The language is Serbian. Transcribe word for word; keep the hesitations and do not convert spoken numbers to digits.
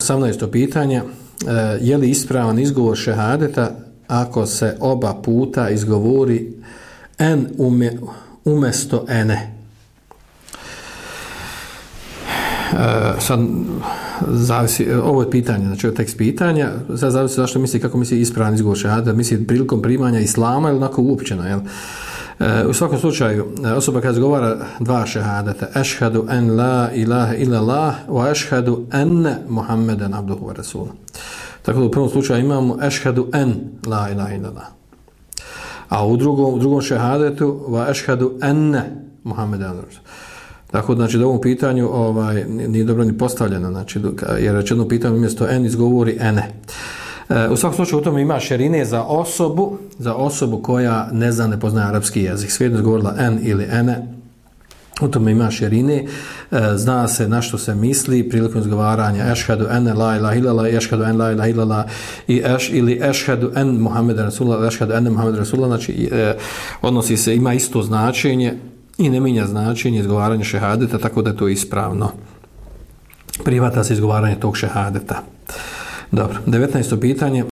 osamnaesto pitanje, je li ispravan izgovor šehadeta ako se oba puta izgovori en ume, umjesto ene? Uh, sad zavisi, ovo je pitanje, znači ovo tekst pitanja, sad zavisi zašto misli, kako misli ispravan izgovor šehadeta, misli prilikom primanja islama ili onako uopćeno, jel? Uh, u svakom slučaju, osoba kada izgovara dva šehadeta, ešhadu en la ilaha illallah wa ešhadu enne Muhammeden abduhu wa rasuluh. Tako da u prvom slučaju imamo ešhadu en la ilaha illallah. A u drugom, u drugom šehadetu wa ešhadu enne Muhammeden abduhu wa rasuluh. Tako da, znači, da ovom pitanju ovaj, nije dobro ni postavljeno, znači, jer rečeno pitanje umjesto en izgovori ene. E, u svakom slučaju u tome ima širine za osobu, za osobu koja ne zna, ne poznaje arapski jezik. Svejedno izgovorila en ili ene, u tome ima širine, e, zna se na što se misli prilikom izgovaranja ešhadu ene la ilaha illallah, ešhadu en la ilaha illallah i eš, ili ešhadu en Muhammed Rasulullah, ešhadu ene Muhammed Rasulullah, znači e, odnosi se, ima isto značenje i ne mijenja značenje izgovaranja šehadeta, tako da je to ispravno. Prihvata se izgovaranje tog šehadeta. Dobro, devetnaesto pitanje.